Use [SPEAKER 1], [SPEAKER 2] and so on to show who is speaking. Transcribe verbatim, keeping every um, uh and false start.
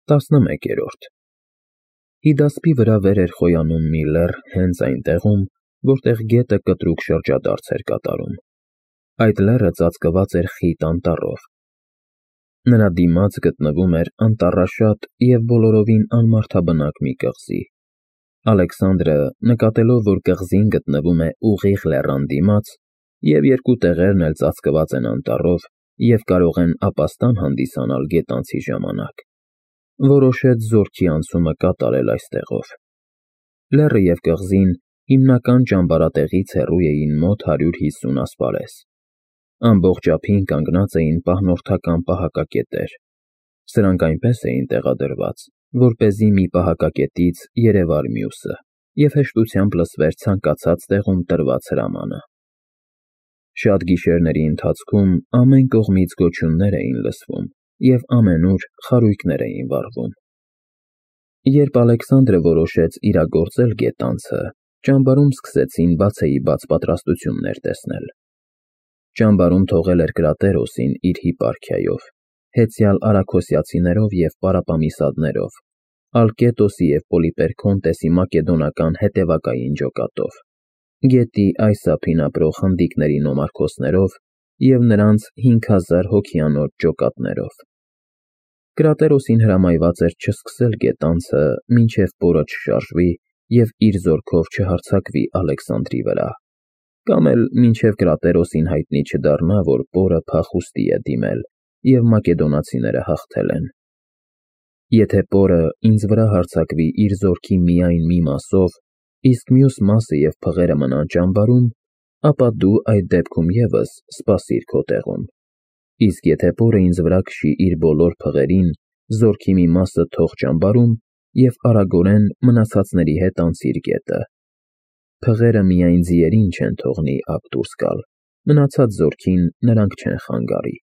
[SPEAKER 1] տասնմեկերորդ Հիդասպի վրա վեր էր խոյանում մի լեռ հենց այն տեղում, որտեղ գետը կտրուկ շրջադարձ էր կատարում. այդ լեռը ծածկված էր խիտ անտառով. նրա դիմաց գտնվում էր անտառաշատ և բոլորովին անմարդաբնակ մի կղզի. Ալեքսանդրը, նկատելով, որ կղզին գտնվում է ուղիղ լեռան դիմաց, և երկու տեղերն էլ ծածկված են անտառով և կարող են ապաստան հանդիսանալ գետանցի ժամանակ, որոշեց զորքի անցումը կատարել այստեղով. լեռը և կղզին հիմնական ճամբարատեղից հեռու էին մոտ հարյուր հիսուն ասպարես. ամբողջ ափին կանգնած էին պահնորդական պահակակետեր. սրանք այնպես էին տեղադրված, որպեսզի մի պահակակետից երևար մյուսը և հեշտությամբ լսվեր ցանկացած տեղում տրված հրամանը. Շատ գիշերների ընթացքում ամեն կողմից գոչյուններ էին լսվում և ամենուր խարույկներ էին վառվում. Երբ Ալեքսանդրը որոշեց իրագործել գետանցը, ճամբարում սկսեցին բացեիբաց պատրաստություններ տեսնել. ճամբարում թողել էր Կրատերոսին իր հիպարքիայով, հեծյալ արաքոսիացիներով և պարապամիսադներով, Ալկետոսի և Պոլիպերքոնտեսի մակեդոնական հետևակային ջոկատով, գետի այս ափին ապրող հնդիկների նոմարքոսներով և նրանց հինգ հազար հոգիանոց ջոկատներով. Կրատերոսին հրամայված էր չսկսել գետանցը, մինչև պորը չշարժվի և իր զորքով չհարձակվի Ալեքսանդրի վրա, կամ էլ մինչև Կրատերոսին հայտնի չդառնա, որ պորը փախուստի է դիմել և մակեդոնացիները հաղթել են. Եթե պորը ինձ վրա հարձակվի իր զորքի միայն մի մասով, իսկ մյուս մասը և փղերը մնան ճամբարում, ապա դու այդ դեպքում ևս սպասիր քո տեղում, իսկ եթե պորը ինձ վրա քշի իր բոլոր փղերին, զորքի մի մասը թող ճամբարում և արագորեն մնացածների հետ անցիր գետը. փղերը միայն ձիերին չեն թողնի ափ դուրս գալ, մնացած զորքին նրանք չեն խանգարի։